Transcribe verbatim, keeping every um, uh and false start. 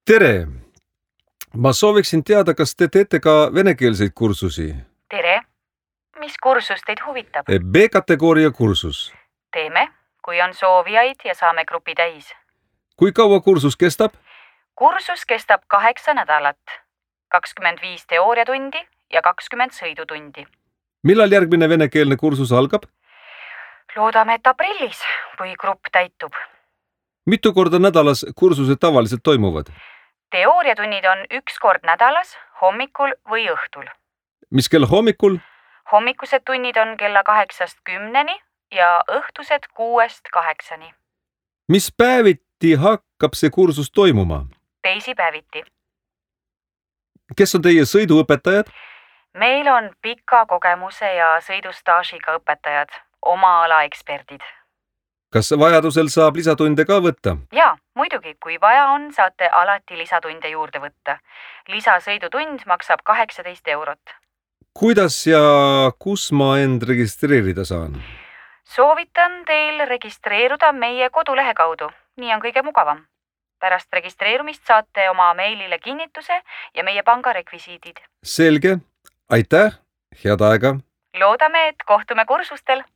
Tere! Ma sooviksin teada, kas te teete ka venekeelseid kursusi? Tere! Mis kursus teid huvitab? B-kategooria kursus. Teeme, kui on soovijaid ja saame grupi täis. Kui kaua kursus kestab? Kursus kestab kaheksa nädalat. kakskümmend viis teooriatundi ja kakskümmend sõidutundi. Millal järgmine venekeelne kursus algab? Loodame, et aprillis, kui grupp täitub. Mitu korda nädalas kursused tavaliselt toimuvad? Teooriatunnid on üks kord nädalas, hommikul või õhtul. Mis kell hommikul? Hommikused tunnid on kella kaheksast kümneni ja õhtused kuuest kaheksani. Mis päeviti hakkab see kursus toimuma? Teisipäeviti. Kes on teie sõiduõpetajad? Meil on pika kogemuse ja sõidustaažiga õpetajad, oma ala eksperdid. Kas vajadusel saab lisatunde ka võtta? Jaa, muidugi, kui vaja on, saate alati lisatunde juurde võtta. Lisasõidutund maksab kaheksateist eurot. Kuidas ja kus ma end registreerida saan? Soovitan teil registreeruda meie kodulehe kaudu. Nii on kõige mugavam. Pärast registreerumist saate oma meilile kinnituse ja meie panga rekvisiidid. Selge. Aitäh. Head aega. Loodame, et kohtume kursustel.